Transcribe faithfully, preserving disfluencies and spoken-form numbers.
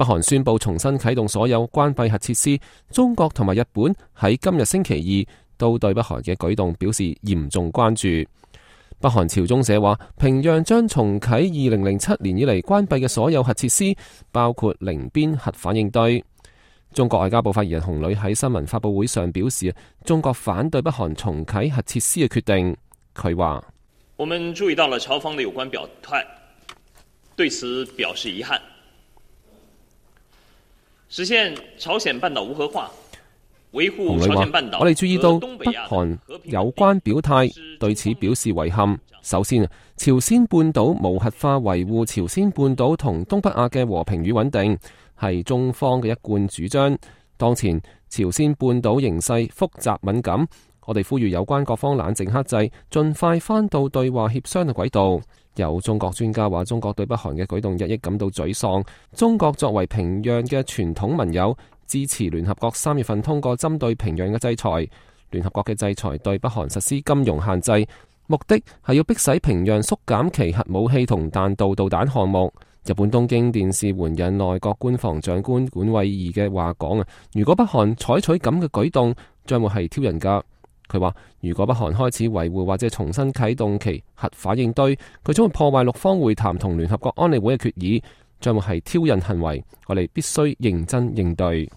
北韓宣布重新啟動所有關閉核設施，中國同埋日本喺今日星期二都對北韓嘅舉動表示嚴重關注。北韓朝中社話，平壤將重啟二零零七年以嚟關閉嘅所有核設施，包括寧邊核反應堆。中國外交部發言人洪磊喺新聞發佈會上表示，中國反對北韓重啟核設施嘅決定。佢話：我們注意到了朝方的有關表態，對此表示遺憾。實現朝鮮半島無核化，維護朝鮮半島。我哋注意到北韓有關表態，對此表示遺憾。首先，朝鮮半島無核化，維護朝鮮半島同東北亞嘅和平與穩定，係中方嘅一貫主張。當前朝鮮半島形勢複雜敏感，我哋呼籲有關各方冷靜克制，盡快翻到對話協商嘅軌道。有中國專家話，中國對北韓嘅舉動日益感到沮喪。中國作為平壤嘅傳統盟友，支持聯合國三月份通過針對平壤嘅制裁。聯合國嘅制裁對北韓實施金融限制，目的係要迫使平壤縮減其核武器同彈道導彈項目。日本東京電視援引內閣官房長官管衛二嘅話講啊，如果北韓採取咁嘅舉動，將會係挑釁噶。佢話：如果北韓開始維護或者重新啟動其核反應堆，佢將會破壞六方會談同聯合國安理會嘅決議，將會係挑釁行為。我哋必須認真應對。